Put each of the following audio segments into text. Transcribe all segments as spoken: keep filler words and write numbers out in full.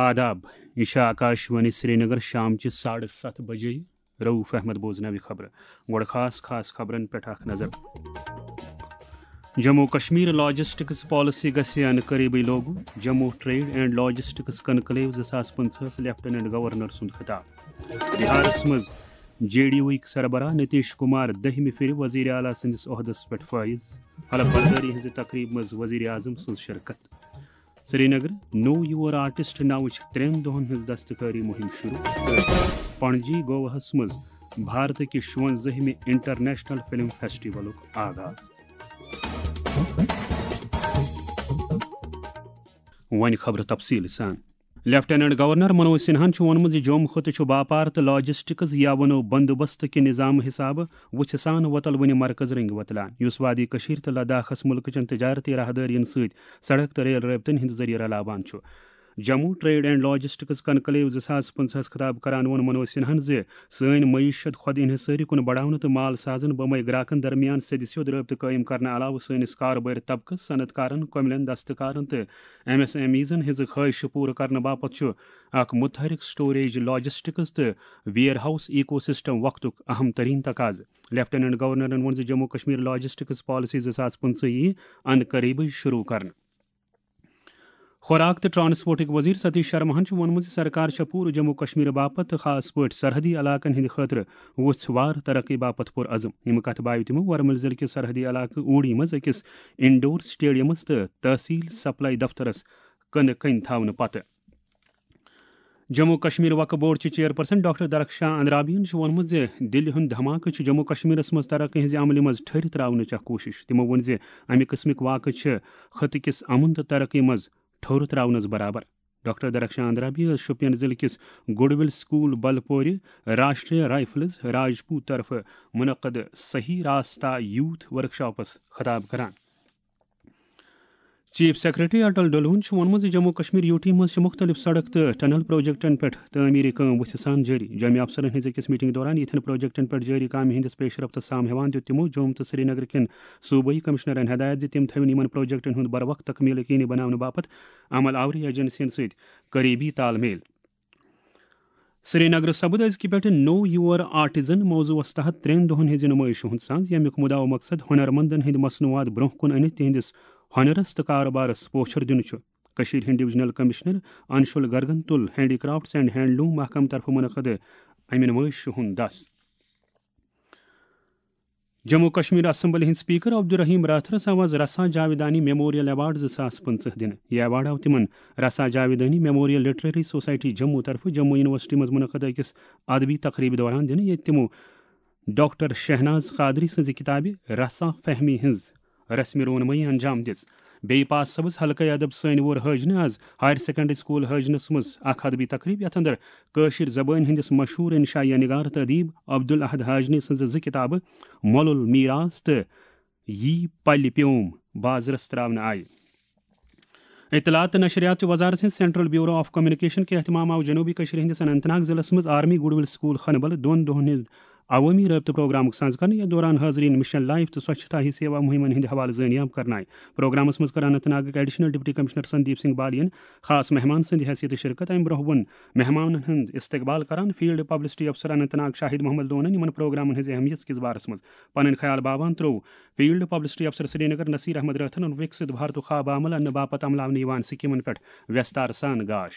آداب، یہِ چھِ آکاش وانی سرینگر، شام چہِ ساڑٕ ستھ بجے۔ رؤف احمد بوزناوِ خبرٕ۔ گۄڈٕ خاص خاص خبرن پٮ۪ٹھ اکھ نظر۔ جموں کشمیر لاجسٹکس پالیسی گژھِ انہٕ قریبٕے لاگو، Jammu trade and logistics conclave زٕ ساس پٕنٛژٕہس لیفٹیننٹ گورنر سُنٛد خطاب۔ بہارس منٛز جے ڈی یوٕکۍ سربراہ نتیش کمار دٔہمہِ پھِرِ وزیر اعلیٰ سٕنٛدِس عہدس پٮ۪ٹھ فٲیض، حلف بردٲری ہٕنٛزِ تقریبہِ منٛز وزیر اعظم سٕنٛز شرکت۔ سرینگر، نو یور آرٹسٹ ناوٕچ ترٛٮ۪ن دۄہن ہٕنٛز دستکٲری مُہِم شروع۔ پنجی گواہس منٛز بھارت کہِ شُونٛزٲہمہِ انٹرنیشنل فلم فیسٹیولُک آغاز۔ وۄنۍ خبرٕ تفصیٖل سان۔ لیفٹیننٹ گورنر منوج سنہاہن چھُ ووٚنمُت زِ جوم خطہٕ چھُ باپار تہٕ لاجسٹکس یا ونو بندوبست کہِ نظام حسابہٕ وُژھِ سان وۄتل وُنہِ مرکز رنگۍ وۄتلان، یُس وادی کشمیر تہٕ لداخس ملکہٕ چٮ۪ن تجارتی راہدٲرین سۭتۍ سڑک تہٕ ریل رٲبطن ہٕنٛدِ ذٔریعہٕ رلاوان چھُ۔ Jammu trade and logistics conclave زٕ ساس پٕنٛژٕہس خطاب کران ووٚن منوج سنہاہن زِ سٲنۍ معیشت خود انحصٲری کُن بڑاونہٕ تہٕ مال سازن بمے گراکن درمیان سیٚدِ سیوٚد رٲبطہٕ قٲیِم کرنہٕ علاوٕ سٲنِس کارٕبٲرۍ طبقس، صنعت کارن، کۄمِلٮ۪ن، دستکارن تہٕ ایم ایس ایم ایزن ہٕنٛزٕ خٲہشہٕ پوٗرٕ کرنہٕ باپتھ چھُ اکھ متحرک سٹوریج، لاجسٹکس تہٕ ویئر ہاؤس ایکو سسٹم وقتُک اہم ترین تقاضہٕ۔ لیفٹیننٹ گورنرن ووٚن زِ جموں کشمیر لاجسٹکس پالیسی زٕ ساس پٕنٛژٕہ یِیہِ ان قریبٕے شروع کرنہٕ۔ خوراک تہٕ ٹرانسپورٹٕکۍ وزیر ستیش شرماہن چھُ ووٚنمُت زِ سرکار چھےٚ پوٗرٕ جموں کشمیر باپتھ تہٕ خاص پٲٹھۍ سرحدی علاقن ہٕنٛدِ خٲطرٕ وُژھ وار ترقی باپتھ پُر عزم۔ ییٚمہِ کتھٕ باوِ تِمو ورمُل ضلعہٕ کِس سرحدی علاقہٕ اوٗڑی منٛز أکِس انڈور سٹیڈیمس تہٕ تحصیل سپلائی دفترس کٕنہٕ کٔنۍ تھاونہٕ پتہٕ۔ جموں کشمیر وقف بورڈ چہِ چیئرپرسن ڈاکٹر درخشاں اندرابیَن چھُ ووٚنمُت زِ دِلہِ ہُنٛد دھماکہٕ چھُ جموں کشمیرس منٛز ترقی ہٕنٛزِ عملہِ منٛز ٹھٔہرِتھ ترٛاونٕچ اکھ کوٗشش۔ تِمو ووٚن زِ امہِ قٕسمٕکۍ واقعہٕ چھِ خطہٕ کِس امن تہٕ ترقی منٛز ٹھوٚر ترٛاونس برابر۔ ڈاکٹر درخشاں اندرابی ٲس شوپین ضلعہٕ کِس گڈ ول سکول بلپورِ راشٹریہ رائفلز راجپوت طرفہٕ منعقد صحیح راستہ یوتھ ورکشاپس خطاب کران۔ چیف سیکرٹری اٹل ڈلون چھُ ووٚنمُت زِ جموں کشمیر یوٗ ٹی منٛز چھِ مُختٔلِف سڑک تہٕ ٹنل پروجیکٹن پٮ۪ٹھ تعمیٖری کٲم وُژھِ سان جٲری۔ جوٚمہِ افسرن ہٕنٛزِ أکِس میٹنگ دوران یِتھٮ۪ن پروجیکٹن پٮ۪ٹھ جٲری کامہِ ہٕنٛدِس پیش رفتس سام ہٮ۪وان دیُت تِمو جوٚم تہٕ سرینگرٕ کٮ۪ن صوبٲئی کمشنرن ہدایت زِ تِم تھٲوِن یِمن پروجیکٹن ہُنٛد بروقت تکمیل یقینی بناونہٕ باپتھ عمل آوری ایجنسین سۭتۍ قریبی تال میل۔ سرینگرٕ سپُد أزکہِ پٮ۪ٹھٕ نو یور آرٹزن موضوعس تحت ترٛٮ۪ن دۄہن ہٕنٛزِ نُمٲیشہِ ہُنٛد ساز، ییٚمیُک مُدعا و مقصد ہُنرمندن ہٕنٛدۍ مصنوعات برٛونٛہہ کُن أنِتھ تِہنٛدِس ہُنرس تہٕ کارٕبارس پوچھر دیُن چھُ۔ کٔشیٖرِ ہٕنٛدۍ ڈویژنل کمشنر انشول گرگن تُل ہینڈی کرافٹس اینڈ ہینڈلوم محکمہٕ طرفہٕ منعقد امہِ نُمٲیشہِ ہُنٛد دس۔ جموں کشمیر اسمبلی ہٕنٛدۍ اسپیکر عبدالرحیم راتھرس آو آز رسا جاویدانی میموریل ایوارڈ زٕ ساس پٕنٛژٕہ دِنہٕ۔ یہِ ایوارڈ آو تِمن رسا جاویدانی میموریل لٹریری سوسائٹی جموں طرفہٕ جموں یونیورسٹی منٛز منعقد أکِس ادبی تقریبہِ دوران دِنہٕ، ییٚتہِ تِمو ڈاکٹر شہناز قادری سٕنٛزِ کِتابہِ رسا فہمی ہٕنٛز رسمِ رونمٲیی انجام دِژ۔ بیٚیہِ پاس صٲبس حلقہٕ ادب سٲنۍ وور حٲجنہٕ آز ہایر سیکنڈری سکول حٲجنس منٛز اکھ ادبی تقریب، یتھ اندر کٲشِر زبٲنۍ ہٕنٛدِس مشہوٗر انشائیہ نگار تہٕ ادیب عبدالاحد حاجنی سٕنٛزٕ زٕ کِتابہٕ مۄلُل میراث تہٕ یی پلہِ پیوم بازرس تراونہٕ آیہِ۔ اطلاعات تہٕ نشریات چہِ وزارت ہٕنٛز سینٹرل بیورو آف کمیونیکیشن کہِ اہتمام آو جنوبی کشمیر ہٕنٛدِس اننت ناگ ضلعس منٛز آرمی گڈ ول سکول خنبل دۄن دۄہن ہٕنٛز عوٲمی رٲبطہٕ پروگرامُک سنز کرنہٕ، یتھ دوران حاضرین مشن لائف تہٕ سوچھتا ہی سیوا مُہِمن ہٕنٛدِ حوالہٕ زٲنیاب کرنہٕ آیہِ۔ پروگرامس منٛز کٔر اننت ناگٕکۍ additional deputy commissioner Sandeep Singh بالیَن خاص مہمان سٕنٛدِ حیثیتہٕ شرکت۔ امہِ برونٛہہ ووٚن مہمانن ہُنٛد استقبال کران فیلڈ پبلسٹی افسر اننت ناگ شاہد محمد لونن یِمن پروگرامن ہٕنٛزِ اہمیت کِس بارس منٛز پنٕنۍ خیال باوان ترٛوو فیلڈ پبلسٹی افسر سرینگر نصیر احمد رٲتھرن وکست بھارتُک خواب عمل اننہٕ باپتھ عملاونہٕ یِوان سکیمن پٮ۪ٹھ ویستار سان گاش۔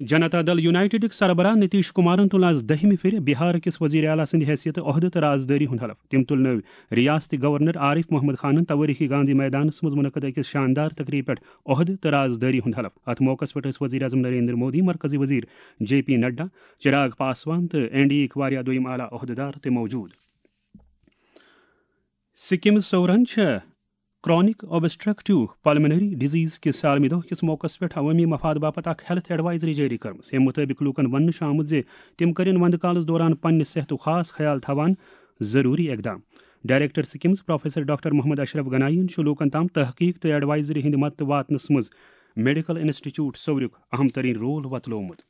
جنتا دل یونائیٹڈٕکۍ سربراہ نتیش کمارن تُل آز دٔہمہِ پھِرِ بہار کِس وزیر اعلیٰ سٕنٛدِ حیثیتہٕ عہدٕ تہٕ رازدٲری ہُنٛد حلف۔ تٔمۍ تُل نٔوۍ ریاست گورنر عارف محمد خانن توٲریخی گاندھی میدانس منٛز منعقد أکِس شاندار تقریبہِ پٮ۪ٹھ عہدٕ تہٕ رازدٲری ہُنٛد حلف۔ اتھ موقعس پٮ۪ٹھ ٲسۍ وزیر اعظم نریندر مودی، مرکزی وزیر جے پی نڈا، چراغ پاسوان تہٕ این ڈی اے یٕکۍ واریاہ دوٚیِم اعلیٰ عہدٕدار تہِ موجود۔ سکمز سورن چھےٚ کرانک اوبسٹرکٹیو پلمنری ڈیزیز کِس عالمی دۄہ کِس موقعس پٮ۪ٹھ عوٲمی مفاد باپتھ اکھ ہیلتھ ایڈوائزری جٲری کٔرمٕژ۔ اَمہِ مُطٲبِق لوٗکَن وننہٕ چھُ آمُت زِ تِم کٔرِن وندٕ کالَس دوران پننہِ صحتُک خاص خیال تھاوان ضروٗری اقدام۔ Director SKIMS professor doctor Mohammad Ashraf Ganai یَن چھُ لوٗکَن تام تحقیق تہٕ ایڈوائزری ہٕنٛدِ مدتہٕ واتنَس منٛز میڈیکل انسٹیٹیوٹ سورُک اہم ترین رول وۄتلومُت۔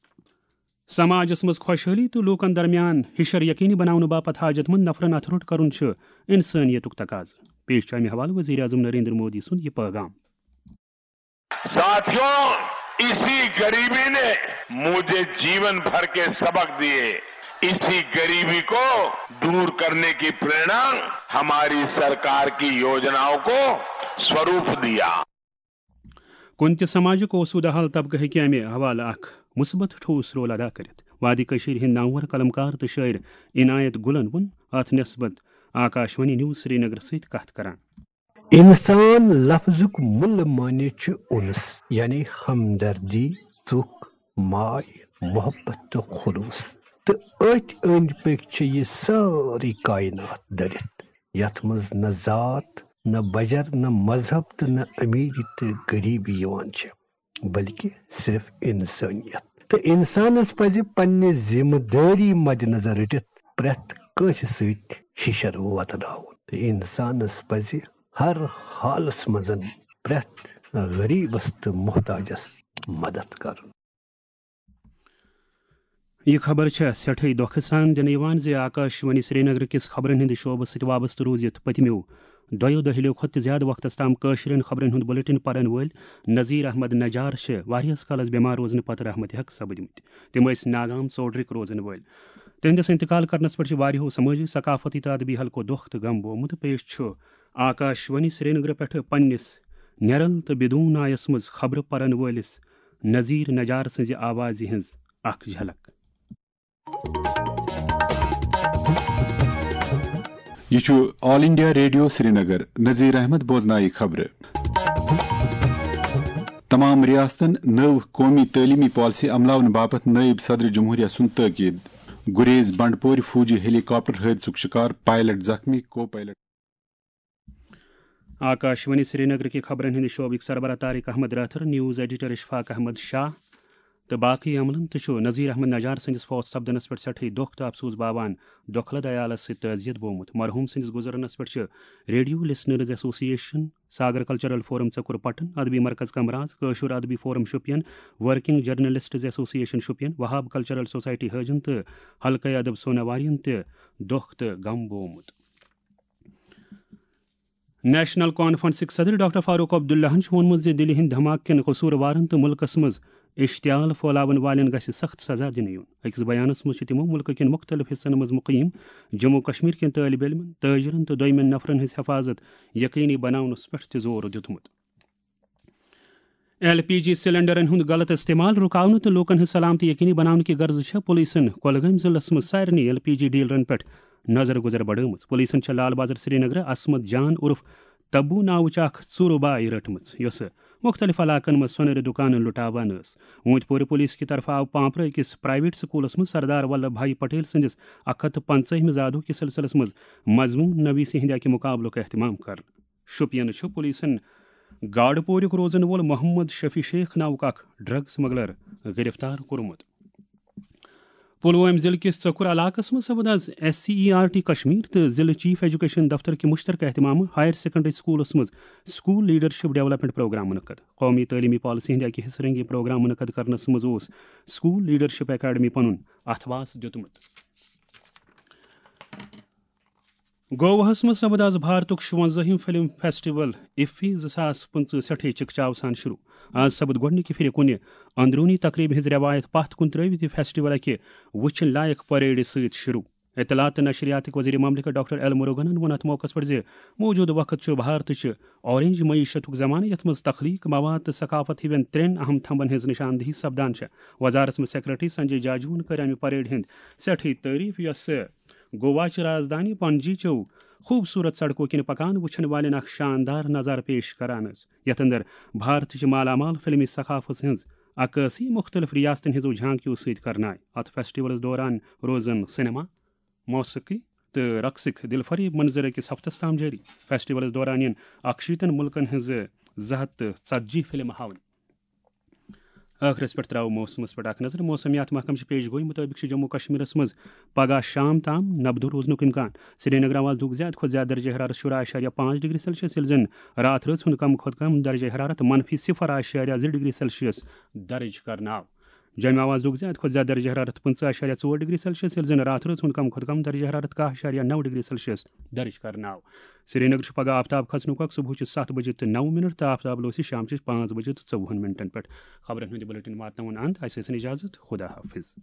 سماجس منٛز خۄشحٲلی تہٕ لوٗکن درمیان ہِشر یقینی بناونہٕ باپتھ حاجت مند نفرن اتھٕ روٚٹ کرُن چھُ انسٲنیتُک تقاضہٕ۔ پیش چھُ امہِ حوالہٕ وزیر اعظم نریندر مودی سُنٛد یہِ پیغام۔ ساتھیوں، इसी गरीबी ने मुझे जीवन भर के सबक दिए। इसी गरीबी को दूर करने की प्रेरणा हमारी सरकार की योजनाओं को स्वरूप दिया। کُنہِ تہِ سماجُک اوسوٗدٕ حال طبقہٕ ہیٚکہِ امہِ حوالہٕ اکھ مثبت ٹھوس رول ادا کٔرِتھ۔ وادی کٔشیٖرِ ہٕنٛدۍ نامور قلمکار تہٕ شٲعر عنایت گُلن ووٚن اتھ نسبت آکاشوانی نیوز سرینگر سۭتۍ کتھ کران۔ انسان لفظُک مُلہٕ معنی چھُ انس، یعنی ہمدردی، ژُکھ، ماے، محبت تہٕ خلوص۔ تہٕ أتھۍ أنٛدۍ پٔکۍ چھِ یہِ سٲرٕے کائنات دٔرِتھ، یتھ منٛز نہ ذات، نہ بجر، نہ مذہب تہٕ نہ امیری تہٕ غریبی یِوان چھِ، بلکہ صرف انسانیت۔ تہٕ انسانس پزِ پننہِ ذمہٕ دٲری مد نظر رٔٹِتھ پرٛٮ۪تھ کٲنٛسہِ سۭتۍ ہِشر وۄتراوُن۔ تہٕ انسانس پزِ ہر حالس منٛز پرٛٮ۪تھ غریبس تہٕ محتاجس مدد کرُن۔ یہِ خبر چھےٚ سٮ۪ٹھٕے دۄکھٕ سان دِنہٕ یِوان زِ آکاشوانی سرینگر کِس خبرن ہٕنٛدِ شعبہٕ سۭتۍ وابستہٕ روٗزِتھ پٔتمیو دۄیو دٔہلِیو کھۄتہٕ تہِ زیادٕ وقتس تام کٲشرٮ۪ن خبرن ہُنٛد بُلٹن پرن وٲلۍ نذیر احمد نجار چھِ واریاہس کالس بٮ۪مار روزنہٕ پتہٕ رحمتِ حق سپٕدمٕتۍ۔ تِم ٲسۍ ناگام ژوڈرِک روزن وٲلۍ۔ تِہنٛدِس انتقال کرنس پٮ۪ٹھ چھِ واریاہو سمٲجی، ثقافتی تہٕ ادبی حلقو دۄکھ تہٕ غم بومُت۔ پیش چھُ آکاشوانی سرینگرٕ پٮ۪ٹھٕ پننِس نیرل تہٕ بدون نایس منٛز خبرٕ پرن وٲلِس نذیر نجار سٕنٛزِ آوازِ ہٕنٛز اکھ جھلک۔ یہِ چھُ آل انڈیا ریڈیو سرینگر۔ نذیر احمد بوزنایہِ خبرٕ۔ تمام ریاستن نٔو قومی تعلیمی پالیسی عملاونہٕ باپتھ نٲیِب صدر جمہوریہ سُنٛد تٲکید۔ گریز بنڈپورِ فوجی ہیلی کاپٹر حٲدثُک شکار، پائلٹ زخمی، کو پائلٹ۔ آکاشوانی سرینگرٕکہِ خبرن ہٕنٛدِ شعبٕکۍ سربراہ طارق احمد رٲتھر، نیوز ایڈیٹر اشفاق احمد شاہ تہٕ باقٕے عملن تہِ چھُ نذیر احمد نجار سٕنٛدِس فوت سپدنس پٮ۪ٹھ سٮ۪ٹھٕے دۄکھ تہٕ افسوس باوان دۄکھلہٕ عیالس سۭتۍ تعزیت بومُت۔ مرحوم سٕنٛدِس گُزرنس پٮ۪ٹھ چھِ ریڈیو لسنرز ایسوسی ایشن، ساگر کلچرل فورم ژکُر پٹن، ادبی مرکز کمراز، کٲشُر ادبی فورم شوپین، ورکنگ جرنلسٹز ایسوسی ایشن شوپین، وہاب کلچرل سوسائٹی حٲجن تہٕ حلقہٕ ادب سوناوارین تہِ دۄکھ تہٕ غم بومُت۔ نیشنل کانفرنسٕکۍ صدر ڈاکٹر فاروق عبداللہن چھُ ووٚنمُت زِ دِلہِ ہٕنٛدۍ دھماکہٕ کٮ۪ن قصوٗروارن تہٕ مُلکس منٛز اشتعال پھٲلاون والٮ۪ن گژھِ سخت سزا دِنہٕ یُن۔ أکِس بیانس منٛز چھِ تِمو مُلکہٕ کٮ۪ن مُختٔلِف حصن منٛز مُقیٖم جموں کشمیر کٮ۪ن طٲلبہِ علمن، تٲجرن تہٕ دوٚیمٮ۪ن نفرن ہٕنٛز حفاظت یقینی بناونس پٮ۪ٹھ تہِ زور دیُتمُت۔ ایل پی جی سلنڈرن ہُنٛد غلط استعمال رُکاونہٕ تہٕ لوٗکن ہٕنٛز سلامتی یقینی بناونہٕ کہِ غرضہٕ چھےٚ پُلیٖسن کۄلگٲمۍ ضلعس منٛز سارنٕے ایل پی جی ڈیلرن پٮ۪ٹھ نظر گُزر بڑٲومٕژ۔ پُلیٖسن چھےٚ لال بازر سرینگرٕ عصمت جان عرف تبو ناوٕچ اکھ ژوٗرٕ باے رٔٹمٕژ، یۄسہٕ مُختٔلِف علاقن منٛز سۄنرِ دُکانن لُٹاوان ٲس۔ ووٗنٛتۍ پورِ پُلیٖس کہِ طرفہٕ آو پانٛپرٕ أکِس پرائیویٹ سکوٗلس منٛز سردار ولبھ بھائی پٹیل سٕنٛدِس اکھ ہتھ تہٕ پنٛژٲہمہِ زادُک کہِ سلسلس منٛز مضموٗن نویسی ہٕنٛدِ اکہِ مُقابلُک اہتمام کرنہٕ۔ شوپینہٕ چھُ پُلیٖسن گاڈٕ پوریُک روزن وول محمد شفیع شیخ ناوُک اکھ ڈرگ سمگلر گرفتار کوٚرمُت۔ پُلوٲمۍ ضلعہٕ کِس ژۄکُر علاقس منٛز سپُد از S C E R T Kashmir تہٕ ضلعہٕ چیف ایجوکیشن دفتر کہِ مُشترکہٕ اہتمامہٕ ہایر سیکنڈری سکوٗلس منٛز سکول لیڈرشپ ڈیولپمنٹ پروگرام منعقد۔ قومی تعلیمی پالیسی ہٕنٛدِ اکہِ حصہٕ رنگہِ پروگرام منعقد کرنس منٛز اوس سکول لیڈرشپ اکیڈمی پنُن اتھواس دیُتمُت۔ گوواہس منٛز سپُد از بھارتُک شُونزٲہِم فلم فیسٹیول افی زٕ ساس پٕنٛژٕہ سٮ۪ٹھٕے چکچاو سان شروع۔ از سپُد گۄڈٕنِکہِ پھِرِ کُنہِ اندروٗنی تقریبہِ ہٕنٛز رٮ۪وایت پتھ کُن ترٲوِتھ یہِ فیسٹیول اکہِ وٕچھِنۍ لایق پریڈِ سۭتۍ شروع۔ اطلاعات تہٕ نشریاتٕکۍ وزیر مملکت ڈاکٹر ایل مروگنن ووٚن اتھ موقعس پٮ۪ٹھ زِ موجودٕ وقت چھُ بھارتٕچہِ اورینج معیشتُک زمانہٕ، یتھ منٛز تخلیق، مواد تہٕ ثقافت ہِوٮ۪ن ترٛٮ۪ن اہم تھمبن ہٕنٛز نشاندہی سپدان چھےٚ۔ وزارت منٛز سیکرٹری سنجے جاجوہن کٔر امہِ پریڈ ہٕنٛز سٮ۪ٹھٕے تعریف، یۄسہٕ گواچہِ رازدانی پنجی چیو خوبصورت سڑکو کِنۍ پکان وٕچھن والٮ۪ن اکھ شاندار نظارٕ پیش کران ٲس، یتھ اندر بھارتٕچ مالا مال فلمی ثقافت ہٕنٛز عکٲسی مُختٔلِف ریاستن ہٕنٛزو جھانکیو سۭتۍ کرنہٕ آیہِ۔ اتھ فیسٹیولس دوران روزن سینما، موسیقی تہٕ رقصٕکۍ دلفریب منظر أکِس ہفتس تام جٲری۔ فیسٹیولس دوران یِن اکشیٖتن مُلکن ہٕنٛزٕ زٕ ہتھ تہٕ ژتجی فلمہٕ ہاونہٕ۔ ٲخرس پٮ۪ٹھ ترٛاوو موسمس پٮ۪ٹھ اکھ نظر۔ موسمیات محکمہٕ چہِ پیش گویی مُطٲبِق چھُ جموں کشمیرس منٛز پگہہ شام تام نبدو روزنُک امکان۔ سرینگر آواز دُک زیادٕ کھۄتہٕ زیادٕ درجہ حرارت شُراہ اعشاریہ پانٛژھ ڈگری سیلسیس، ییٚلہِ زن راتھ رٲژ ہُنٛد کم کھۄتہٕ کم درجہ حرارت منفی صفر اعشاریہ زٕ ڈگری سیلسیس درج کرنہٕ آو۔ جامعہ آواز لیوٚکھ زِ اَتہِ کھۄتہٕ زیادٕ درجہ حرارت پٕنٛژٕہ اَشاریہ ژور ڈگری سیلسیس، ییٚلہِ زن راتھ رٲژ ہُنٛد کم کھۄتہٕ کم درجہ حرارت کاہ اَشاریہ نَو ڈگری سیلسیس درج کرنہٕ آو۔ سرینگر چھُ پگہہ آفتاب کھسنُک وقت صبحٕچہِ ستھ بجے تہٕ نَو منٹ تہٕ آفتاب لوسہِ شامچہِ پانٛژھ بجے تہٕ ژوٚوُہن منٹن پٮ۪ٹھ۔ خبرن ہُنٛد یہِ بلیٹن واتناوُن اند۔ اَسہِ ٲسِن اجازت۔ خدا حافظ۔